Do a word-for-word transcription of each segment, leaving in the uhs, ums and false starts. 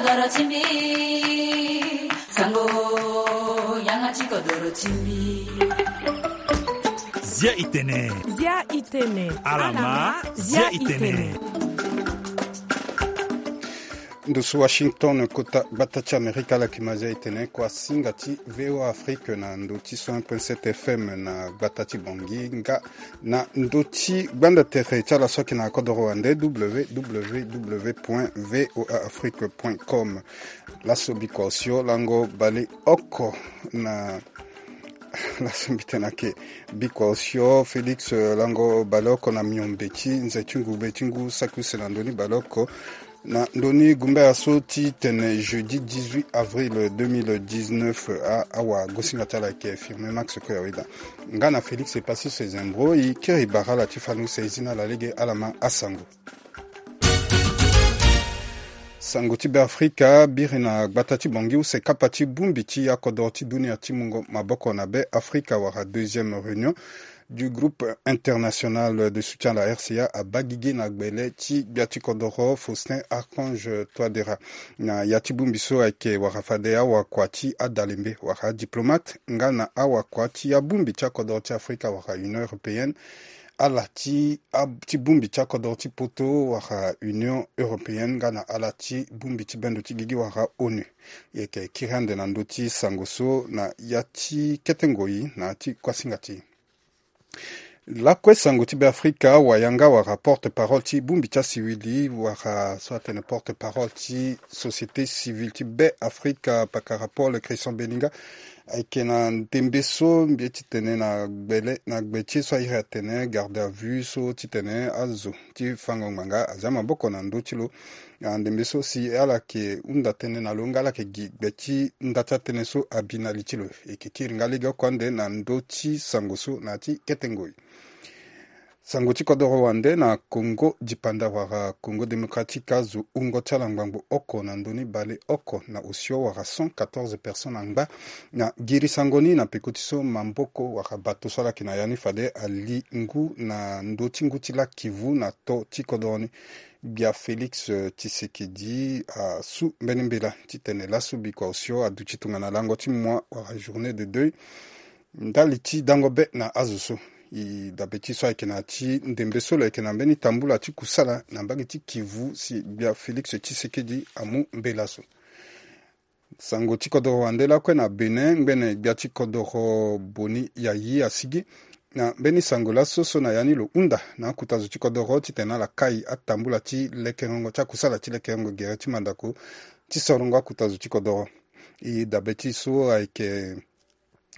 Kodoro ti mbi, sango, yanga ti kodoro ti mbi. Zia i tene. Zia i tene. Alama, zia i tene. Ndo so Washington, kota gbata ti Amerika, ala yeke ma zia i tene, kuasinga ti V O A Afrique na ndo ti cent un point sept F M na gbata ti Bangui, nga na ndo ti gbanda tere ti ala so ayeke na kodoro wande, W W W point V O A Afrique point com. Laso bikua osio lango baleoko na laso mbi tene ayeke bikua osio Félix, eh, lango baleoko na miombe ti nze ti ngube ti ngu saki use na ndoni baleoko. Na ndoni gumbaya so ti tene jeudi dix-huit avril deux mille dix-neuf, a, awagosinga ti ala ayeke Firmin Max Koyaweda. Nga na Félix Epassis Ezembro, e kiri bara ala ti fani use e zi na ala lege, ala ma asango. Sango ti Beafrika, biri na gbata ti Bangui use kapa ti bongbi ti akodoro ti dunia ti mungo maboko na Beafrika wala deuxième réunion du groupe international de soutien à la R C A abaa gigi na gbele ti gbia ti kodoro Faustin Archange Touadéra. Na ya ti bongbi so ayeke wara fade awakua ti adalembe wala adiplomate nga na awakua ti abongbi ti akodoro ti Afrika wala Union européenne, ala ti, a, ti bongbi ti akodoro ti poto wala Union européenne nga na ala ti bongbi ti bendo ti gigi wala ONU. E yeke kiri ande na ndö ti sango so na ya ti kete ngoi na ya ti kuasinga ti e. Lakue sango ti Beafrika, wayanga wala porte-parole ti bongbi ti asivili wala so atene porte-parole ti société civile ti Beafrika, pakara Paul Christian Belinga, ayeke na ndembe so mbi ye ti tene na gbele, na gbe ti e so airi atene garde à vue so ti tene azo ti fango ngbanga azia maboko na ndö ti lo. Ah, ndembe so si ala yeke hunda tënë na lo nga ala yeke gi gbe ti nda ti atënë so abi na li ti lo. E yeke kiri nga legeoko ande na ndö ti sango so na ya ti kete ngoi. Sango ti kodoro wande, na Congo dipanda wala Congo Démocratique, azo wungo ti ala ngbangbo oko na ndö ni baleoko na osio wala cent quatorze personnes angba na giri sango ni na peko ti so maboko wala bato so ala yeke na ya ni fade ali ngu na ndö ti ngu ti laa Kivu na to ti kodoro ni. Gbia Félix, eh, Tshisekedi asu mbeni mbela titene laso bikua osio aduti tongana lango ti moi wala journée de deuil ndali ti dango be na azo so. E dabe ti so ayeke na ya ti ndembe so lo yeke na mbeni tambula ti kusala na mbage ti Kivu si gbia Félix Tshisekedi amu mbela so. Sango ti kodoro wande lakue na Bénin, ngbene gbia ti kodoro Boni Yayi asigi na mbeni sango laso so na ya ni lo hunda na akuta zo ti kodoro titene ala kai atambula ti lekerengo ti akusala ti lekerengo gere ti mandako ti sorongo akuta zo ti kodoro. E dabe ti so ayeke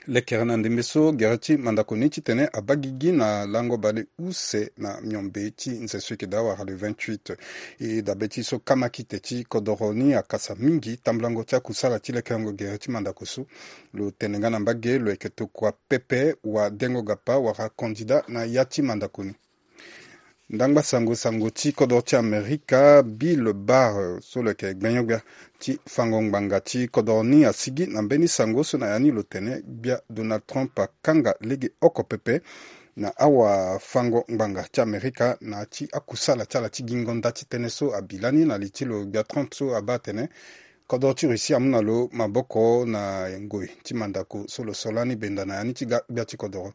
lekere na ndembe so gere ti mandako ni titene abaa gigi na lango baleuse na miombe ti nze so eke daa wala le vingt-huit. E dabe ti so kamakite ti kodoro ni akasa mingi tambulango ti akusala ti lekerengo gere ti mandako so. Lo tene nga na mbage lo yeke tokua pepe wadengo gapa wala candidat na ya ti mandako ni. Ndangba sango, sango ti kodoro ti Amerika, Bill Barr, so lo yeke gbenyo-gbia ti fango ngbanga ti kodoro ni asigi na mbeni sango so na ya ni lo tene gbia Donald Trump akanga legeoko pepe na awafango ngbanga ti Amerika na ya ti akusala ti ala ti gingo nda ti tënë so abi lani na li ti lo. Gbia Trump so abaa atene kodoro ti Russie amu na lo maboko na ngoi ti mandako so lo so lani benda na ya ni ti ga gbia ti kodoro.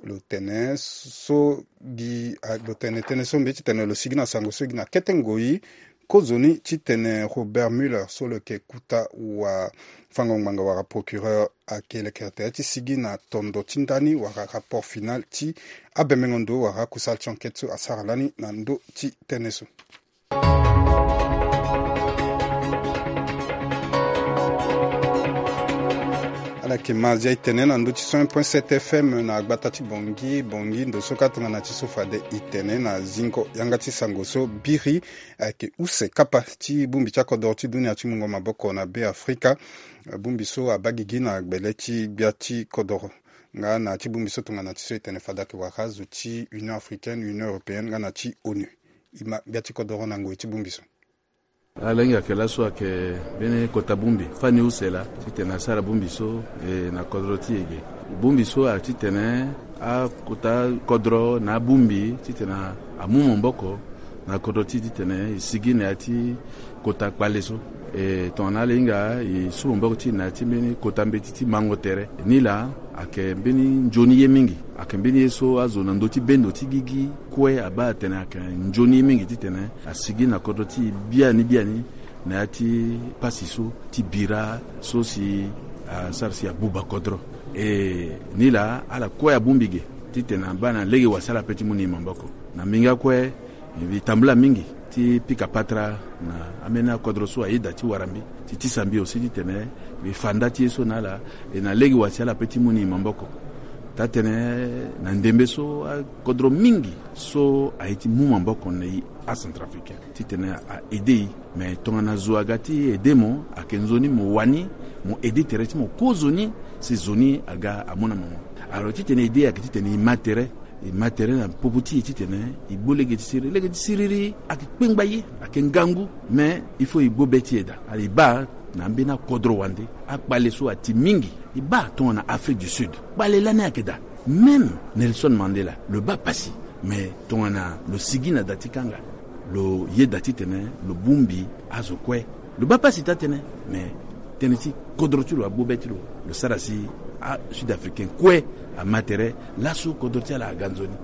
Lo tene so gi, a, lo tene tënë so mbi ye titene lo sigi na sango so gi na kete ngoi kozoni titene Robert Mueller so lo yeke kuta wafango ngbanga wala procureur ayeke lekere tere ti sigi na tondo ti ndani wala rapport final ti abembengo ndo wala akusala ti enquête so asara lani na ndö ti tënë so. Ala yeke ma zia e tene na ndö ti cent un point sept F M na gbata ti Bangui. Bangui, ndo so kâ tongana ti so fade e tene na zingo yanga ti sango so biri ayeke use kapa ti bongbi ti akodoro ti dunia ti mungo maboko na Beafrika. Bongbi so abaa gigi na gbele ti gbia ti kodoro nga na ti bongbi so tongana ti so e tene fade ayeke wara azo ti Union africaine, Union européenne nga na ti ONU. E ma gbia ti kodoro na ngoi ti bongbi so. Alingbi ayeke laso ayeke mbeni kota bongbi fani use laa titene asara bongbi so, e, na kodro ti e ge. Bongbi so ayeke titene akota kodro na abongbi titene amu maboko na kodro ti e titene e sigi na ya ti kota kpale so. E tongana ala hinga e su maboko ti e na ya ti mbeni kota mbeti ti mango tere. Nilaa ayeke mbeni nzoni ye mingi. Ayeke mbeni ye so azo na ndö ti bendo ti gigi kue abaa atene ayeke nzoni ye mingi titene asigi na kodro ti e biani biani na ya ti pasi so ti bira so si asara si abuba kodro. E nilaa ala kue abongbi ge titene abaa na lege wa si ala pe ti mu na e maboko. Na mingi akue, e tambula mingi ti pika patara na ambeni akodro so ayeda ti wara mbi, ti tisa mbi aussi titene mbi fa nda ti ye so na ala. E na lege wa si ala pe ti mu na e maboko. Taa-tënë na ndembe so akodro mingi so aye ti mu maboko na e acentrafricain titene a aide e. Me tongana zo aga ti aide mo, ayeke nzoni mo wani, mo aide tere ti mo kozoni, si zo ni aga amu na mo. Alors titene aide ayeke titene e ma tere, e ma tere na popo ti e titene e gbu lege ti siriri. Lege ti siriri ayeke kpengba ye, ayeke ngangu. Me il faut e gbu be ti e daa. Ala e baa na ambeni akodro wande akpale so ati mingi. E baa tongana Afrique du Sud kpale lani ayeke daa. Même Nelson Mandela lo baa pasi. Me tongana lo sigi na da ti kanga, lo yeda titene lo bongbi azo kue. Lo baa pasi taa-tënë. Me tënë ti kodro ti lo agbu be ti lo, lo sara si asud africain kue ama tere. Laso kodro ti ala aga nzoni.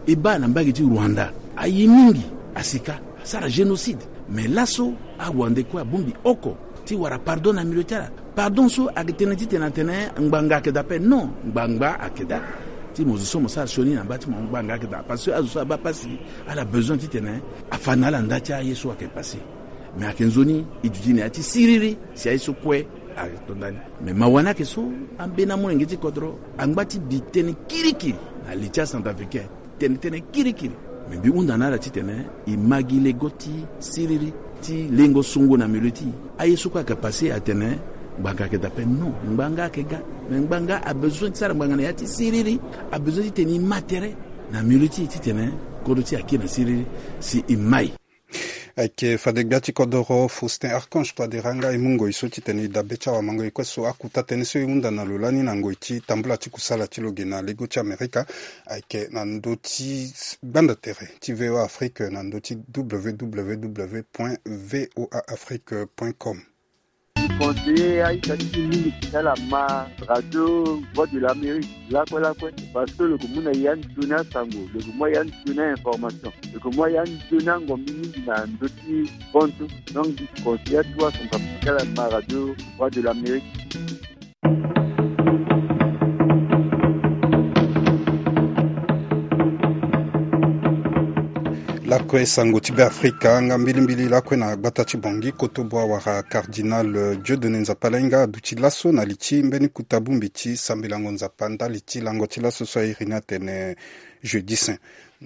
E baa na mbage ti Rwanda, aye mingi, asika, asara génocide. Me laso arwandais kue abongbi oko ti wara pardon na milieu ti ala. Pardon so ayeke tene titene atene ngbanga ayeke daa ape? Non, ngbanga ayeke daa. Ti mo zo so mo sara sioni na mba ti mo, ngbanga ayeke daa. Parce que azo so abaa pasi, ala besoin titene afa na ala nda ti aye so ayeke passé. Me ayeke nzoni e duti na ya ti siriri si aye so kue atonda ni. Me mawa ni ayeke so, ambeni amolenge ti kodro angba ti bi tënë kirikiri na li ti acentrafricain. Tene tënë kirikiri. Me mbi hunda na ala titene e ma gi lego ti siriri ti lengo songo na milieu ti e. Aye so kue ayeke passé atene ngbanga ayeke daa ape? Non, ngbanga ayeke ga. Me ngbanga abezoin ti sara ngbanga na ya ti siriri. Abezoin titene e ma tere na milieu ti e titene kodro ti e akiri na siriri si e mai. Ayeke fade gbia ti kodoro Faustin Archange Touadéra nga e mu ngoi so titene e dabe ti awamango e kue so. Akota tënë so e hunda na lo lani na ngoi ti tambula ti kusala ti lo ge na lego ti Amerika ayeke na ndö ti gbanda tere ti V O A Afrique na ndö ti W W W point V O A Afrique point com. Conseiller a-ita ti e mingi ti ala ma radio Voix de l'Amérique lakue lakue, parce que lo yeke mu na e ya nzoni asango, lo yeke mu ya nzoni a-information, lo yeke mu ya nzoni angombi mingi na ndö ti bantu. Donc mbi conseiller atuwa asango ti ala ma radio Voix de l'Amérique. Lakue sango ti Beafrika nga mbilimbili lakue na gbata ti Bangui, kotobo awara Cardinal Dieudonné Nzapa Lainga aduti laso na li ti mbeni kota bongbi ti sambelango Nzapa ndali ti lango ti laso so a iri ni atene Jeudi Saint.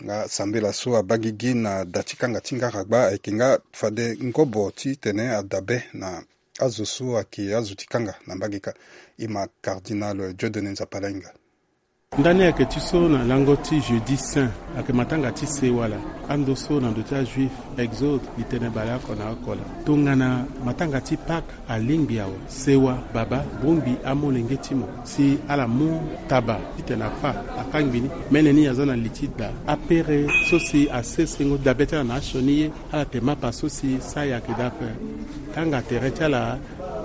Nga sambela so abaa gigi na da ti kanga ti ngaragba ayeke nga fade ngobo titene adabe na azo so ayeke azo ti kanga na mbage kâ. E ma Cardinal Dieudonné Nzapa Lainga. Ndani ayeke ti so na lango ti Jeudi Saint, ayeke matanga ti sewa laa. Ando so na ndö ti ajuif, Exode, li tene baleoko na oko laa. Tongana matanga ti Pâques alingbi awe, sewa, baba, bongbi amolenge ti mo si ala mu taba titene afâ, akangbi ni. Mene ni aza na li ti da. Apere so si asesengo dabe ti ala na asioni ye, ala yeke mapa so si sara ayeke daa ape. Kanga tere ti ala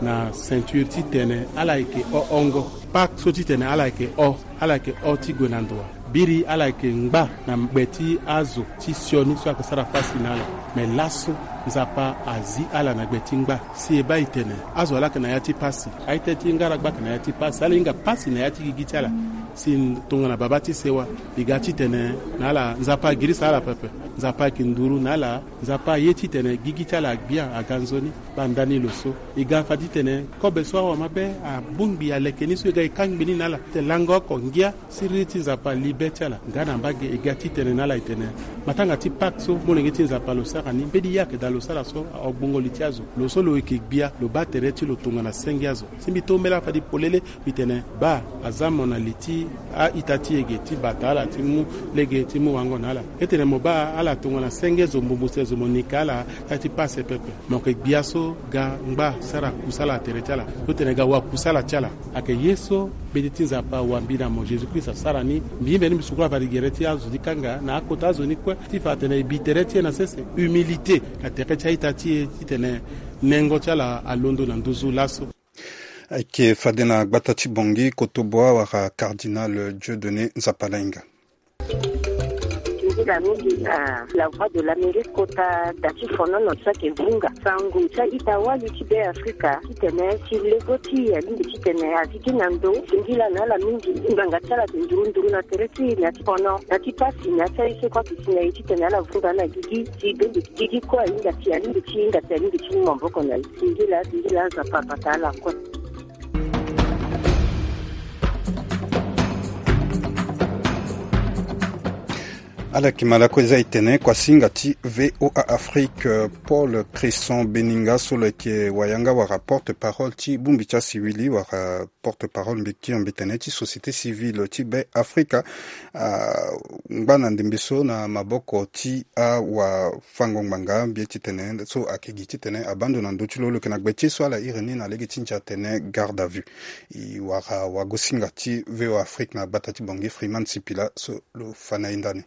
na ceinture titene ala yeke hohongo. Pâques so titene ala yeke ho, ala yeke ho ti gue na ndo wa. Biri ala yeke ngba na gbe ti azo ti sioni so ayeke sara pasi na ala. Me laso Nzapa azi ala na gbe ti ngba. Si e baa e tene azo laa ayeke na ya ti pasi. A-ita ti ngaragba ayeke na ya ti pasi. Ala hinga pasi na ya ti gigi ti ala. Si tongana baba ti sewa, e ga titene na ala Nzapa agirisa ala pepe. Nzapa ayeke nduru na ala. Nzapa aye titene gigi ti ala agbia, aga nzoni. Baa ndani lo so e ga fa titene kobe so awamabe abongbi aleke ni so e ga e kangbi ni na ala. Titene lango oko ngia siriri ti Nzapa ali be ti ala. Nga na mbage e ga titene na ala e tene matanga ti Pâques so molenge ti Nzapa lo sara ni, mbeni ye ayeke daa lo sara so agbongo li ti azo. Lo so lo yeke gbia, lo baa tere ti lo tongana senge azo. Si mbi tombela fade polele, mbi tene baa aza mo na li ti a-ita ti e ge ti bata ala ti mu lege ti mu wango na ala. Etene mo baa ala Tongana senge zo mbumbuse zo mo nika ala, ya ti pase pepe. Mo yeke gbia so ga ngba sara kusala tere ti ala. Totene ga wakusala ti ala. Ayeke ye so mbeti ti Nzapa wambi na mo Jésus Christ asara ni. Mbi himbe ni mbi sukula fade gere ti azo ti kanga na akota azo ni kue ti fa atene e bi tere ti e na sese. Humilité na tere ti a-ita ti e titene nengo ti ala alondo na nduzu laso. Ayeke fade na gbata ti Bangui, Kotoboa wala Cardinal Dieudonné Nzapalainga. Nzila mingi na La Voix de l'Amérique kota da ti fonono so ayeke vunga sango ti a-ita wali ti Be Afrika titene si lego ti e alingbi titene azi gi na ndo. Singila na ala mingi ngbanga ti ala ayeke nduru nduru na tere ti e na ti fono na ti pasi na ya ti aye so kue ayeke si na e titene ala vunga na gigi. Si bende gigi kue ahinga si alingbi ti hinga si alingbi ti mu maboko na e. Singila singila Nzapa abata ala kue. Ala yeke malako eza e tene kuasinga ti V O A Afrique, Paul Cresson Beninga so lo yeke wayanga wala porte-parole ti bongbi ti asiwili wala porte-parole mbeti mbetene ti société civile ti Be Afrika, ah, ngba na ndembe so na maboko ti awafango-ngbanga mbi ye titene so ayeke gi titene abaa ndo na ndö ti lo. Lo yeke na gbe ti e so ala iri ni na lege ti ndia atene garde à vue. E wara wagosinga ti V O A Afrique na gbata ti Bangui Freeman Sipila so lo fa na e ndani.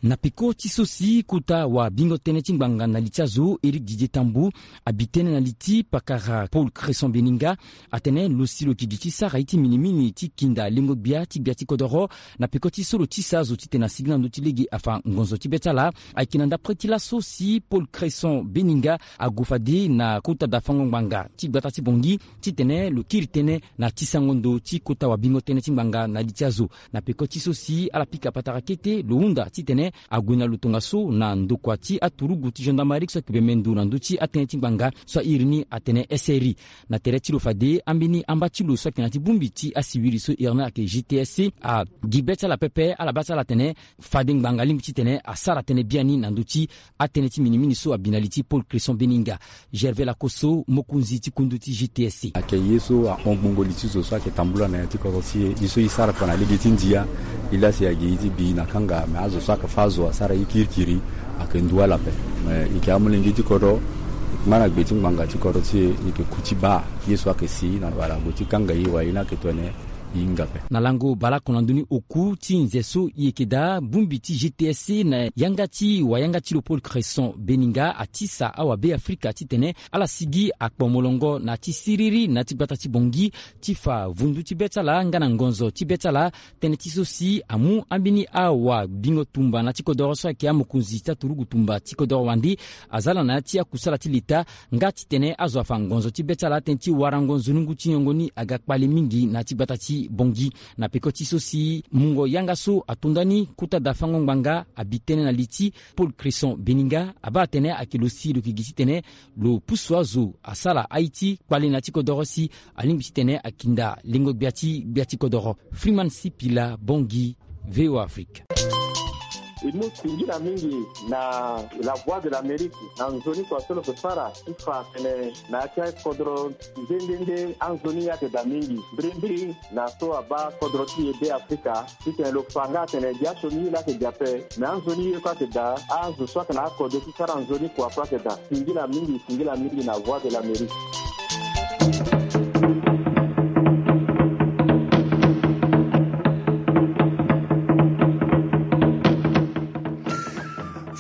Na peko ti so si kota wabingo tënë ti ngbanga na li ti azo Éric Didier Tambou abi tënë na li ti pakara Paul Cresson Beninga, atene lo si lo yeke gi ti sara ye ti minimini ti kinda lengo-gbia ti gbia ti kodoro. Na peko ti so lo tisa azo titene asigi na ndö ti lege afa ngonzo ti be ti ala. Ayeke na ndapre ti laso si Paul Cresson Beninga ague fade na kota dafango-ngbanga ti gbata ti Bangui titene lo kiri tënë na tisango ndo ti kota wabingo tënë ti ngbanga na li ti azo. Na peko ti so si ala pika patara kete lo hunda titene ague na lo tongaso na ndokua ti aturugu ti gendarmerie so ayeke bembe ndo na ndö ti atënë ti ngbanga so airi ni atene S R I. Na tere ti lo fade ambeni amba ti lo so ayeke na ya ti bongbi ti asiwili so iri ni ayeke G T S C agi be ti ala pepe, ala baa ti ala atene fade ngbanga alingbi titene asara tënë biani na ndö ti atënë ti minimini so abi na li ti Paul Cresson Beninga. Gervais Lakosso, mokonzi ti kundu ti G T S C. Ayeke ye so ahon gbongo li ti zo so ayeke tambula na ya ti kodro ti e. Ye so e sara kua na lege ti ndia, e laa si ayeke ye ti bi na kanga, me azo so ayeke fâ azo asara ye kirikiri, ayeke ndu ala ape. Me e yeke amolenge ti kodro, e yeke ma na gbe ti ngbanga ti kodro ti e, e yeke ku ti baa ye so ayeke si na wala gue ti kanga e wala ye ni ayeke tongana e hinga ape. Na lango baleoko na ndö ni oku ti nze so e yeke daa, bongbi ti G T S C na yanga ti wayanga ti lo Paul Cresson Beninga atisa awabe Afrika titene ala sigi akpo molongo na ya ti siriri na ya ti gbata ti Bangui ti fa vundu ti be ti ala nga na ngonzo ti be ti ala. Tënë ti so si amu ambeni awabingo tumba na ya ti kodoro so ayeke amokonzi ti aturugu tumba ti kodoro wande aza ala na ya ti akusala ti leta nga titene azo afa ngonzo ti be ti ala. Tënë ti warango nzonungu ti nyongo ni aga kpale mingi na ya ti gbata ti Bangui. Na peko ti so si mungo yanga so ato nda ni kota dafango ngbanga abi tënë na li ti Paul Cresson Beninga, abaa atene ayeke lo si lo yeke gi titene lo pusu azo asara aye ti kpale na ya ti kodoro si alingbi titene akinda lengo-gbia ti gbia ti kodoro. Freeman Sipila, Bangui, V O A Afrique. E mu singila mingi na La Voix de l'Amérique na nzoni kua so lo yeke sara ti fa atene na ya ti akodro nde nde nde anzoni ye ayeke daa mingi. Mbirimbiri na so abaa kodro ti e Be Afrika titene lo fa nga atene gi asioni ye laa ayeke daa ape, me anzoni ye kue ayeke daa, azo so ayeke na akodro ti sara nzoni kua kue ayeke daa. Singila mingi, singila mingi na Voix de l'Amérique.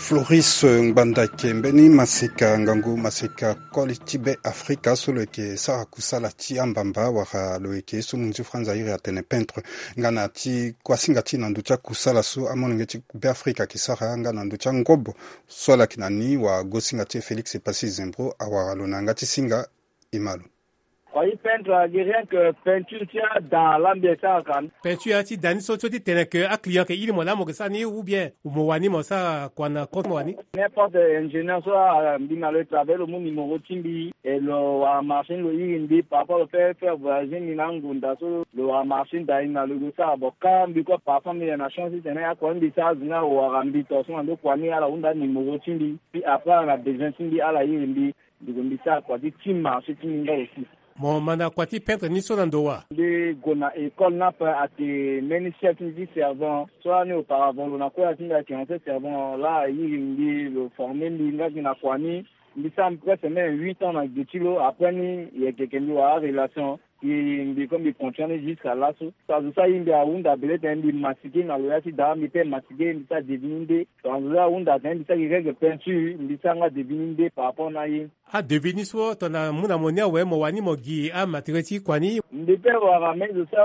Floris Ngbanda ayeke mbeni maseka, ngangu maseka koli ti Be Afrika so lo yeke sara kusala ti ambamba wala lo yeke ye so munzu franza airi atene peintre. Nga na ti kuasinga ti e na ndö ti akusala so amolenge ti Be Afrika ayeke sara nga na ndö ti angobo so ala yeke na ni, wagosinga ti e Félix Passy Zembro awara lo na yanga ti singa. E ma lo. Kua ti peintre ayeke rien que peinture ti ada la mbi sara ka. Peinture ti da ni so, so ti tene que aclient ayeke iri mo laa mo yeke sara ni ou bien mo wani mo sara kua na compte mo wani? N'importe ingénieur so, ah, mbi na lo e travailler, lo mu numéro ti mbi, e lo wara marché ni lo iri mbi, parfois lo fait faire voyager mbi na angunda so lo wara marché ni da ni na lo e go sara. Bon, ka mbi kue parfois mbi yeke na chance ti tene akua ni mbi sara azo ni awara mbi to so na ndo kua ni ala hunda numéro ti mbi. Puis après ala na besoin ti mbi ala iri mbi. Ndeko mbi sara kua ti ti marché ti mbi nga aussi. Mo ma na kua ti peintre ni so na ndo wa? Mbi gue na école ni ape, ayeke mbeni chef ti mbi ti servant so lani. Auparavant lo na kue ya ti mbi ayeke ancien servant, laa airi mbi, lo forme mbi nga gi na kua ni. Mbi sara presque même huit ans na gbe ti lo. Après ni, e yeke mbi wara arelation. Mbi, mbi comme mbi continue ni jusqu'à laso. Azo so aye mbi ahunda bele tene mbi masike na lo ya ti daa, mbi pe masike, mbi sara devis ni nde. Azo so ahunda tene mbi sara gi règle peinture, mbi sara nga devis ni nde par rapport na aye. Adevis ni so tongana amu na mo ni awe, mo wani mo gi amatériel ti kua ni? Mbi pe wara même zo so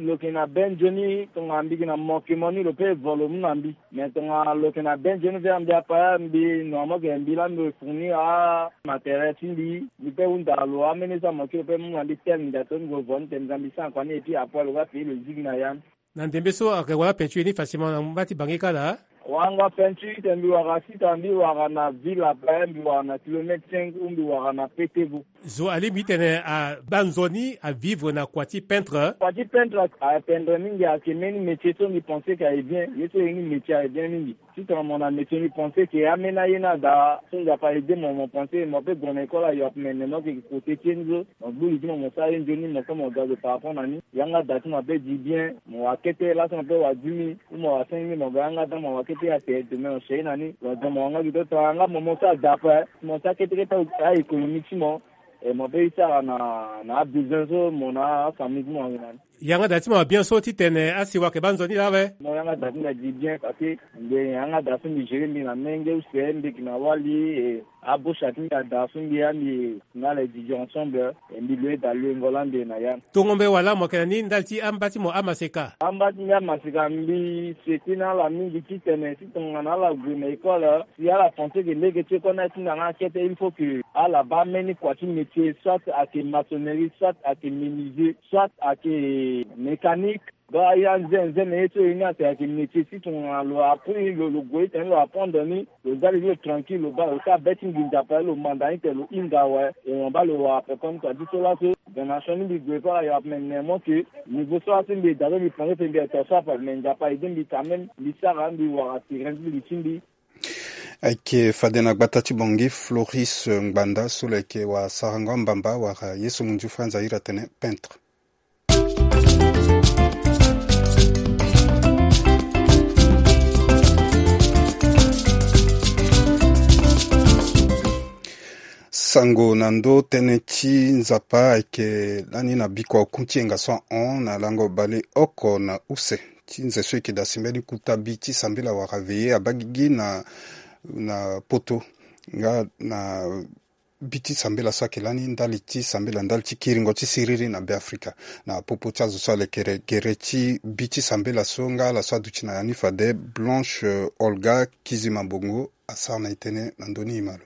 lo yeke na be nzoni, tongana mbi gi na mo ke mo ni lo pe vo lo mu na mbi. Mais tongana lo yeke na be nzoni ve, mbi apa ya mbi, normalement ke mbi laa mbi fournir amatériel ti mbi. Mbi pe hunda lo amene so amoke lo pe mu na mbi tel ndia so mbi gue vo ni tene mbi sara kua ni, et puis après lo ga payer lo zigi na ya ni. Na ndembe so ayeke wara peinture ni facilement na mba ti Bangui kâ laa? Wanga peinture tene mbi wara sita, mbi wara na ville ape, mbi wara na kilomètre cinq ou mbi wara na Petevo. Zo alingbi tene abaa nzoni avivre na kua ti peintre? Kua ti peintre a, a pendre mingi, ayeke mbeni métier so mbi pense ke aye bien. Ye so ye ni métier aye bien mingi. Si tongana mo na métier, mbi pense ke ameni aye ni ada so Nzapa aide mo, mo pense mo pe gue na école ayo ape, me nene mo yeke côté ti ye ni so. Mo gbu li ti mo, mo sara ye nzoni, mo so mo ga zo par rapport na ni. Yanga da ti mo ape di bien, mo wara kete. Laso mo pe wara dix mille ou mo wara cinq mille, mo ga yanga da, mo wara kete, ase demain mo sere na ni. Lo da mo wara nga gi to, tongana nga mo, mo so ada ape, mo sara kete kete a-économie ti mo. E mo pe e sara na, na abesoin so mo na afamille ti mo ayeke na ni. Yanga da ti mo abien so titene asiwa ayeke baa nzoni laa awe? Mo yanga da ti mbi adi bien parce que mbi yanga da so mbi gérer mbi na menge use, mbi yeke na wali, e abosha ti mbi ada so mbi ya mbi na ala e didi ensemble, e mbi loue da loue ngo laa mbi yeke na ya. Tongombe wala mo yeke na ni ndali ti amba ti mo amaseka? Amba ti mbi amaseka, mbi souhaiter na ala mingi titene si tongana ala gue na école, si ala pense ke lege ti école ni atinda nga kete, il faut que ala baa mbeni kua ti métier, soit ayeke maçonnerie, soit ayeke menuisier, soit ayeke mécanique. Donc aye anze nze na ye so ye ni ayeke, ayeke métier. Si tongana lo appris, lo, lo gue titene lo apprendre ni, lo za li ti lo tranquille, lo baa, lo sara be ti nginza ape, lo manda ni tene lo hinga awe, e mo baa lo wara ape comme ça. Ti so laso, donation ni mbi gue pa ayo ape, me nene mo ke niveau so laso mbi ye da so mbi pense tene mbi yeke tonga so ape, me Nzapa aide mbi quand même, mbi sara, mbi wara terrain ti li ti mbi. Ayeke fade na gbata ti Bangui, Floris Ngbanda so lo yeke wasarango ambamba wala ye so munzu Franz ahiri atene peintre. Sango na ndö tënë ti Nzapa ayeke lani na bikua oku ti yenga so ahon na lango baleoko na use ti nze so eke dasi mbeni kuta bi ti sambela wala veillée abaa gigi na, na poto nga na bi ti sambela so ayeke lani ndali ti sambela ndali ti kiringo ti siriri na Beafrika. Na popo ti azo so alekere gere ti bi ti sambela so nga ala so aduti na ya ni fade, Blanche, euh, Olga Kizimabongo asara na e tënë na ndö ni, e ma lo.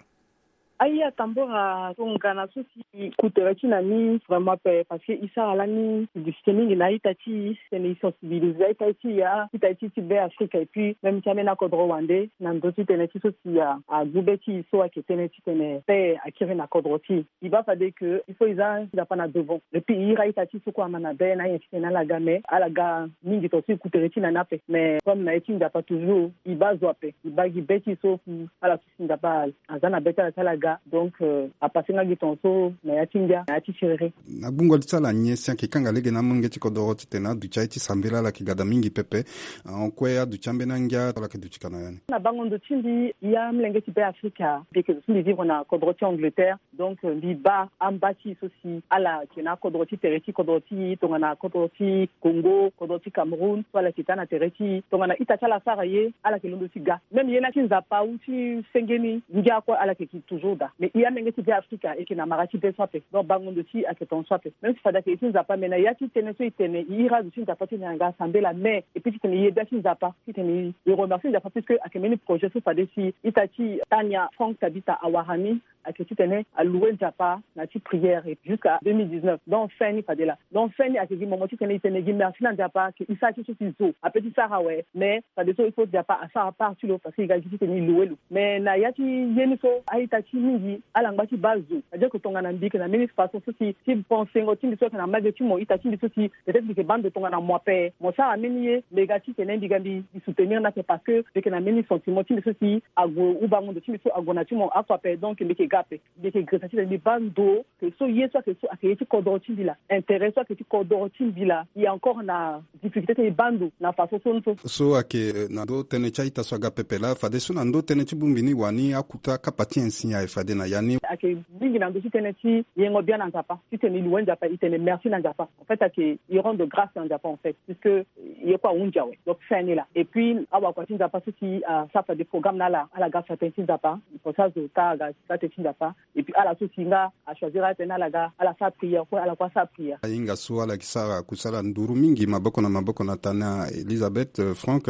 Aye atambora tongana so si ku tere ti na ni vraiment ape, parce que e sara lani publicité mingi na a-ita ti e, titene e sensibiliser a-ita ti e, a-ita ti e ti Beafrika, et puis même ti ambeni akodro wande, na ndö ti tënë ti so si a, agbu be ti e so ayeke tënë titene paix akiri na kodro ti e. E baa fade ke il faut e za Nzapa na devant. Et puis e iri a-ita ti e so kue ama na be na anyen titene ala ga, mais ala ga mingi tonga so e ku tere ti na ni ape. Mais comme na ye ti Nzapa toujours, e baa zo ape, e baa gi be ti e so fu ala so si Nzapa aza na be ti ala ti ala ga. Donc, euh, apase nga gi tonga so na ya ti ngia, na ya ti siriri. Na gbungo li ti ala nyen si ayeke kanga lege na amolenge ti kodoro titene aduti aye ti sambela, ala yeke ga daa mingi pepe. Ahon kue aduti ambeni angia so ala yeke duti ka na ya ni. Na bango ndo ti mbi, ya amolenge ti Beafrika, mbi yeke zo so mbi vivre na kodoro ti Angleterre. Donc, euh, mbi baa amba ti e so si ala yeke na akodoro ti tere ti kodoro ti e, tongana kodoro ti Congo, kodoro ti Cameroun, so ala yeke taa na tere ti e, tongana ita ti ala asara ye, ala yeke londo ti ga. Même ye ni ti Nzapa ou ti senge ni, ngia kue ala yeke ki toujours daa. Mais e amolenge ti Beafrika e yeke na mara ti be so ape. Donc bango ndo ti e ayeke tonga so ape. Même si fade ayeke ye ti Nzapa, mais na ya ti tënë so e tene, e iri azo ti Nzapa titene aga sambela, mais et puis titene e yeda ti Nzapa, titene e remercie Nzapa puisque ayeke mbeni projet so fade si ita ti e Tania Frank Tabita awara ni, ayeke titene a louer Nzapa na ya ti prière jusqu'à deux mille dix-neuf. Donc fin ni fade laa. Donc fin ni ayeke gi momo titene e tene e gi merci na Nzapa ke e sara ti so si zo ape ti sara awe. Mais fadeso il faut Nzapa asara part ti lo parce que e ga gi titene e louer lo. Mais na ya ti ye ni so a-ita ti Mingi ala ngba ti baa zo, c'est-à-dire que tongana mbi yeke na mbeni façon so si ti pensengo ti mbi so ayeke na mbage ti mo, ita ti mbi so si peut-être mbi yeke baa ndo tongana mo ape, mo sara mbeni ye, mbi ga titene mbi ga mbi soutenir ni ape, parce que mbi yeke na mbeni sentiment ti mbi so si ague, ou bango ndo ti mbi so ague na ti mo oko ape. Donc mbi yeke ga ape, mbi yeke gresa titene mbi baa ndo. Ke so ye so ayeke so ayeke ye ti kodoro ti mbi laa, intérêt so ayeke ti kodoro ti mbi laa, e encore na difficulté ti e baa ndo na façon so ni so. So ayeke, eh, na ndo tënë ti a-ita so aga pepe laa, fadeso na ndo tënë ti bongbi ni wani akuta kapa ti insi aye fade na ya ni. Ayeke mingi na ndo ti tënë ti yengo bien na Nzapa, titene e loue Nzapa, e tene merci na Nzapa. En fait ayeke e rendre grâce na Nzapa, en fait, puisque ye kue ahunzi awe. Donc fin ni laa. Et puis awakua ti Nzapa so si asara fade programme na ala, ala ga fa tënë ti Nzapa. Pour ça zo ta aga sa tënë ti Nzapa. Et puis ala so si nga achoisir atene ala ga ala sara prière, kue ala kue asara prière. Ahinga so ala yeke sara kusala nduru mingi maboko na maboko na tana Elisabeth, euh, Franck.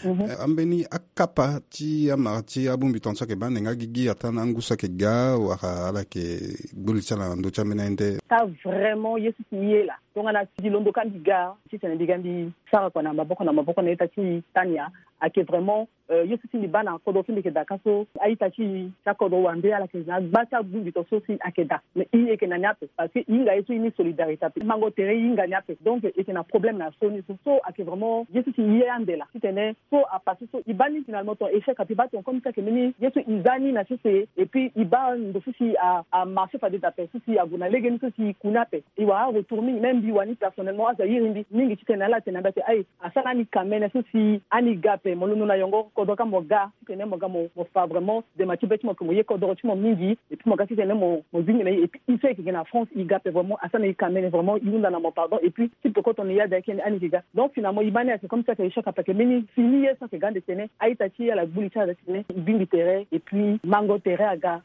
Mhm. Eh, ambeni akapa ti amara ti abongbi tongaso ayeke baa ande nga gigi ata na angu so ayeke ga wala ala yeke gbu li ti ala na ndö ti ambeni aye nde? Ka vraiment ye so si e ye laa, tongana si mbi londo ka mbi ga titene mbi ga mbi sara kua na maboko na maboko na ita ti tania. Ayeke vraiment, euh, ye so si mbi baa na kodro so mbi yeke daa ka so, a-ita ti e ti akodro wande ala yeke na gba ti abongbi tongaso si ayeke daa. Mais e yeke na ni ape, parce que e hinga ye so e ni solidarité ape, mango tere e hinga ni ape. Donc e yeke na problème na so ni so. So ayeke vraiment ye so si e ye ande laa titene so apassé so e baa ni finalement ton échec ape, e baa ton comme si ayeke mbeni ye so e za ni na sese. Et puis e baa ndo so si a, amarché fade daa ape, so si ague na lege ni so si e ku ni ape. E wara aretour mingi, même mbi wani personnellement azo airi mbi mingi titene ala tene na mbi ate aye, asara ani kamene so si ani ga ape, mo londo na yongo kodro ka mo ga, titene mo ga mo, mo fa vraiment dema ti be ti mo, ke mo ye kodro ti mo mingi, et puis mo ga titene mo, mo zingi na e. Et puis e so e yeke gi na France e ga ape vraiment, asara na e kamene vraiment, e hunda na mo pardon. Et puis ti peko tongana e ya daa eke ni ani yeke ga. Donc finalement e baa ni ayeke comme si ayeke échec ape, ayeke mbeni fini ye so ayeke ga ande tene a-ita ti e ala gbu li ti ala titene e bingbi tere et puis mango tere aga.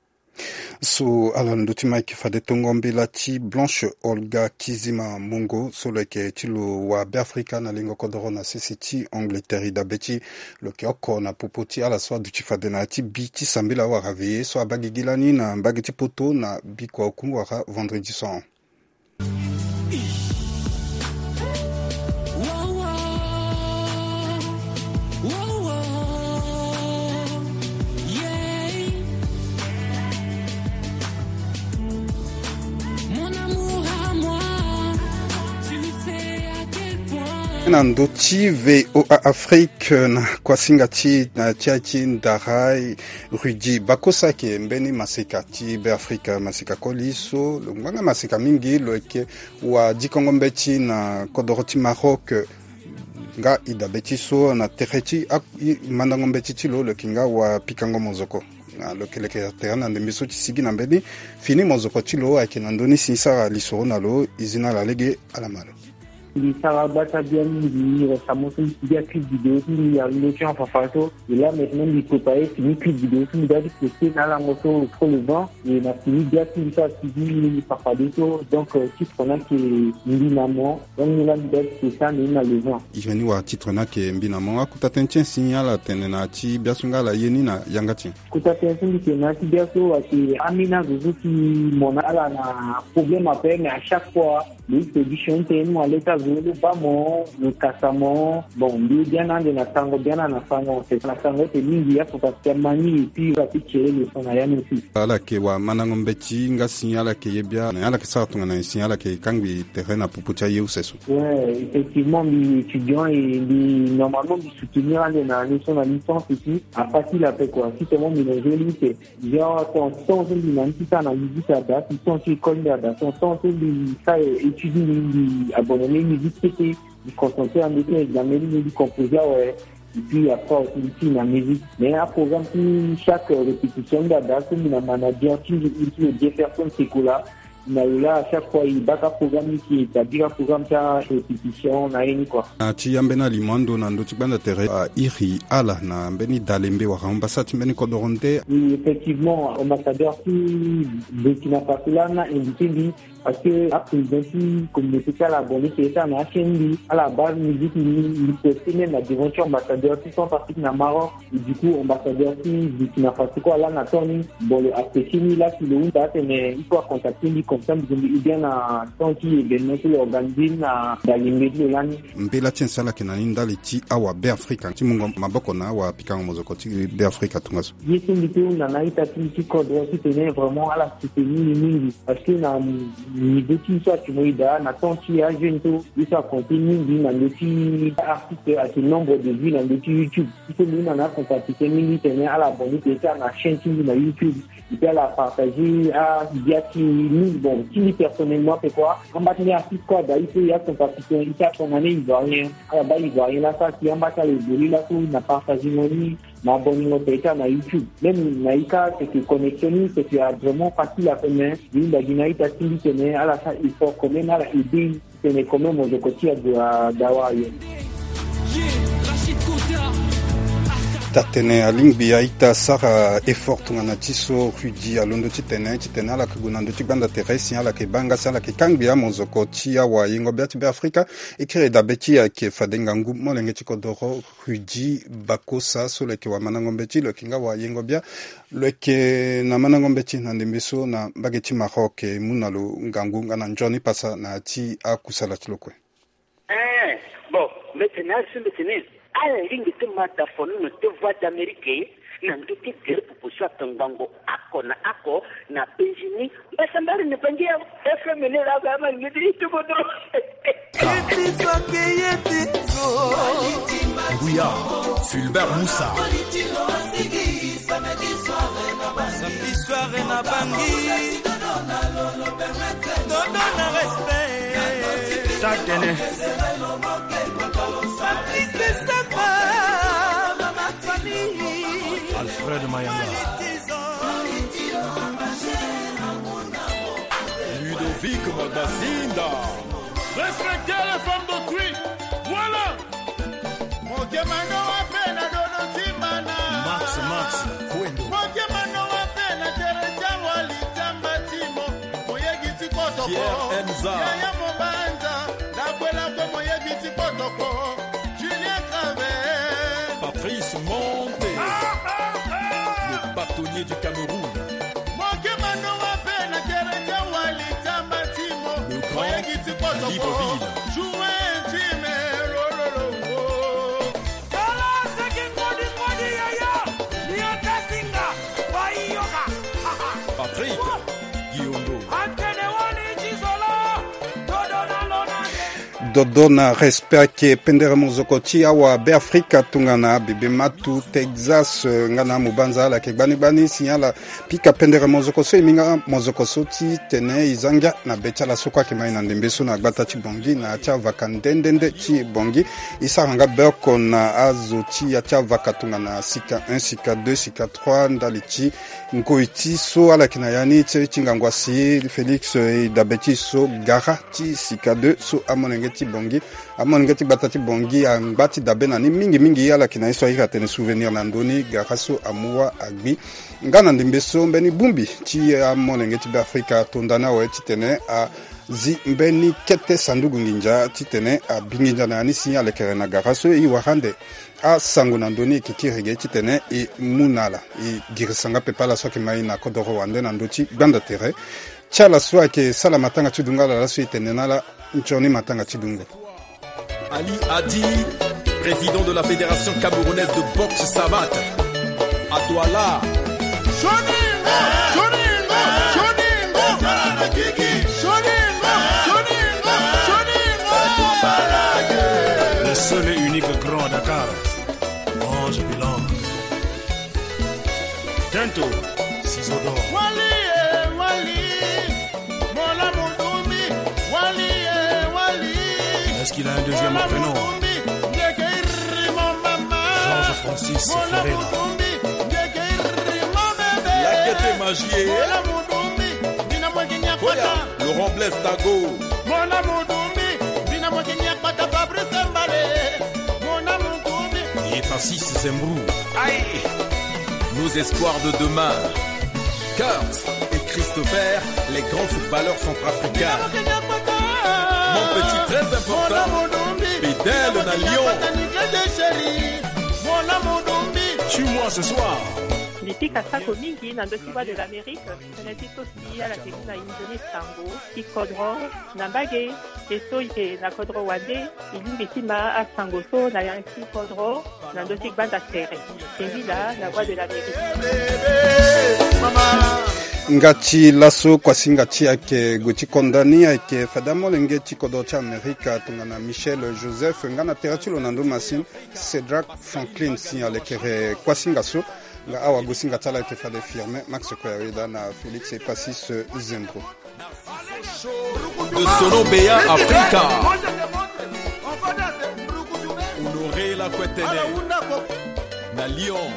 So ala ndö ti mike fade tongo mbela ti Blanche Olga Kizima Mungo so lo yeke ti lo wa Beafrika na lingo kodoro na sese ti Angleterre. E dabe ti lo yeke oko na popo ti ala so aduti fade na ya ti bi ti sambela wala veillée so abaa gigi lani na mbage ti poto na bikua oku wala vendredi so ahon. Na ndö ti V O A Afrique, na kuasinga ti, na ti aye ti ndara, Rudy Bakosa ayeke mbeni maseka ti Beafrika, maseka koli so lo ngbanga maseka mingi, lo yeke wa dikongo mbeti na kodoro ti Maroc. Nga e dabe ti so na tere ti a, mandango mbeti ti lo, lo yeke nga wa pikango mozoko. Na lo yeke leke tere na ndembe so ti sigi na mbeni fini mozoko ti lo ayeke na ndö ni si e sara lisoro na lo, e zi na ala lege, ala ma lo. Mbi sara gbata bia mingi, récemment so mbi sigi a clip vidéo ti mbi a lo ti en fafa so. Et là maintenant mbi préparé fini clip vidéo so mbi doit ti posté na alango so trop le vent. Et na fini bia ti mbi so asigi mbi fafade so. Donc, euh, titre na ayeke Mbi na mo. Donc ni la mbi doit ti posté ande ni na le vent. Iri ni wala titre na ayeke Mbi na mo. Akota tënë ti e si ala tene na ya ti bia so nga ala ye ni na yanga ti e. Kota tënë so mbi tene na ya ti bia so ayeke ambeni azo so si mo na ala na problème ape, mais à chaque fois lo solution ti tene ni mo, aleta zo lo baa mo, lo kasa mo. Bon, mbi ye biani ande na sango, biani na sango, c'est na sango ete mingi afoka si ama ni, et puis ala peut tirer leçon na ya ni aussi. Ala yeke wamandango mbeti nga si ala yeke ye bia, na ala yeke sara tongana nyen si ala yeke kangbi tere na popo ti aye use so? Ouais, effectivement mbi étudiant et mbi normalement mbi soutenir ande na année so na licence aussi. Apart ti la pe quoi, si seulement mbi na joli te. Genre ton temps so mbi na ni ti sara na musique ada, si temps ti école mbi ada, ton temps so mbi sara étude ni, mbi abandonné musique kete, mbi concentré ande ti examen ni, mbi composé awe. Et puis après aussi mbi ti na musique. Mais aprogramme ti chaque répétition mbi ada so mbi na manager ti mbi, ti lo Jefferson Sekola. Na lo la, à chaque fois e baka programme ni, e établir aprogramme ti arépétition na ye ni quoi. Na ti ambeni alimo ando na ndö ti gbanda tere, a iri ala na mbeni dalembe wala ambassadeur ti mbeni kodoro nde? Oui, effectivement, ambassadeur ti Burkina Faso la na invité mbi. Parce que aprésident ti communauté ti ala abonné ti ete na achaîne ni, ala baa musique ni, li poste même na devant ti ambassadeur ti Centrafrique na Maroc. Et du coup ambassadeur ti Burkina Faso kue ala na temps ni, bon, lo apprécier ni, la si lo hunda atene il faut acontacter ni comme ça mbi gue mbi aide bien na temps ti événement ti lo organisé ni na Dalimbé ti lo lani. Mbela ti ancien ala yeke na ni ndali ti awa Beafrika ti mungo maboko na awapikango mozoko ti Beafrika tongaso. Ye so mbi peut hunda na a-ita ti mbi ti kodro titene vraiment ala soutenir ni mingi, parce que na niveau ti ye so ayeke mo e daa na temps ti ajeune so, ye so akonte mingi na ndö ti artiste ayeke nombre de vues na ndö ti YouTube. Ye so mbi hunda na acompatitien mingi titene ala abonné ti ete na chaîne ti mbi na YouTube. Et puis ala partager agbia ti mbi, bon, ti mbi personnellement, c'est quoi, amba ti mbi artiste kue ada ye so, ye acompatitien ye so akongana ivoirien, ala baa ivoirien laa so asi amba ti ala évoluer laso na partagengo ni, na abonnéngo peut-être na YouTube. Même na ye ka c'est que connexion ni c'est que a vraiment facile ape, mais mbi hunda gi na a-ita ti mbi titene ala sara effort quand même, ala aider titene quand même mozoko ti ague adawa aye. Taa-tënë alingbi a-ita sara effort tongana ti so Rudy alondo titene, titene ala yeke gue na ndö ti gbanda tere si ala yeke baa nga si ala yeke kangbi amozoko ti awayengo-bia ti Beafrika. E kiri dabe ti e ayeke fade ngangu molenge ti kodoro Rudy Bakosa so lo yeke wamandango mbeti, lo yeke nga wayengo-bia. Lo yeke na mandango mbeti na ndembe so na mbage ti Maroc, e mu na lo ngangu nga na nzoni pasa na ya ti akusala ti lo kue. Eh, bon, mbi tene azo mbi tene ala lingbi ti ma da fono na te Voix d'Amérique na ndö ti gere popo so akangbango oko na oko na penzi ni. Mbasambari na Bangi ya F M ni laa, ba ma ni ti kodro. Nguya, Fulbert Moussa. Samedi soir na Bangi. Dodo na respect. Taa-tënë. Patrice Samba, Mama Fanny. Alfred Mayanga. Ludovic Magbazinda. Respectez les femmes d'autrui. Voilà. Mokemano wape na dodo timana. Max, Max, Kwendo. Mokemano wape na tere tia wali tia mbatimo. Moyegi ti kotoko. Pierre Enza. Yaya Mobanza. Lakwelakwe moyegi ti kotoko. Julien Craven. Patrice Monte. Ah, ah, ah. Le bâtonnier du Cameroun. Mokemano wape na tere tia wali tia mbatimo. Le grand Libreville. Joue intime, lo, lo, lo, oh. Tala seki ngodi ngodi yaya, ni atasinga, bayoka. Patrick Guillaume. Antene wani ti zolo, dodo na lo na nde. Dodo na respect ayeke pendere mozoko ti awa Beafrika tongana bebe matu Texas, eh, nga na amobanza ala yeke gbani gbani si ala pika pendere mozoko so e minga mozoko so titene e za ngia na be ti ala so kue ayeke ma e na ndembe so na gbata ti Bangui na ya ti avaka nde nde nde ti Bangui. E sara nga be oko na azo ti ya ti avaka tongana sika un, sika deux, sika trois ndali ti ngoi ti so ala yeke na ya ni ti, ti ngangu asi Félix, eh, e dabe ti e so gara ti sika deux so amolenge ti Bangui, amolenge ti gbata ti Bangui angba ti dabe na ni mingi mingi. Ala yeke na ye so a iri atene souvenir na ndö ni gara so amu wâ agbi. Nga na ndembe so mbeni bongbi ti amolenge ti Beafrika ato nda ni awe titene azi mbeni kete sanduku nginza titene abi nginza na ya ni si alekere na gara so. E wara ande asango na ndö ni e yeke kiri ge titene e mu na ala, e girisa nga pepe ala so ayeke ma e na kodoro wande na ndö ti gbanda tere ti ala so ayeke sala matanga ti dungo ala laso. E tene na ala nzoni matanga ti dungo. Ali Adi, président de la Fédération camerounaise de boxe savate. À Douala. Shoningo, shoningo, shoningo. Shoningo, shoningo, shoningo. Le seul et unique grand à Dakar. Ange Bilan. Tento, Ciseaux d'or. Wali, eh, Wali. Mola Mudumbi, Wali, eh, Wali. Est-ce qu'il a un deuxième prénom ? Mola Mudumbi, Ngekeiri, mon maman. Georges Francis Mola Ferreira. Mudumbi, Ngekeiri, mon bébé. Lakete Magie. Mola Mudumbi, Dina Mwekenya Koya, Kota. Laurent Blaise Tago. Mola Mudumbi, Dina Mwekenya Kota, Fabrice Mbale. Mola Mudumbi. Et Tassis Zembrou. Aïe. Nos espoirs de demain. Kurt et Juste vert, les grands footballeurs centrafricains. Mon petit très important, Bedel na Lyon. Tue-moi ce soir. Lipika sako mingi na ndö ti Voix de l'Amérique. Tënë ti so si ala yeke gi na inzo ni sango ti kodro na mbage. E so e yeke na kodro wande, e lingbi ti ma asango so na ya ti kodro na ndö ti gbanda tere. Singila na Voix de l'Amérique. Nga ti laso kuasinga ti ayeke gue ti konda ni ayeke fade amolenge ti kodro ti Amerika tongana Michel Joseph nga na tere ti lo na ndö masini Cédric Franklin si alekere kuasinga so. Nga awagosinga ti ala ayeke fade Firmin Max Koyaweda na Félix Epasis Zembro. De Sono Beya Afrika. Honoré Lakwetene na Lyon.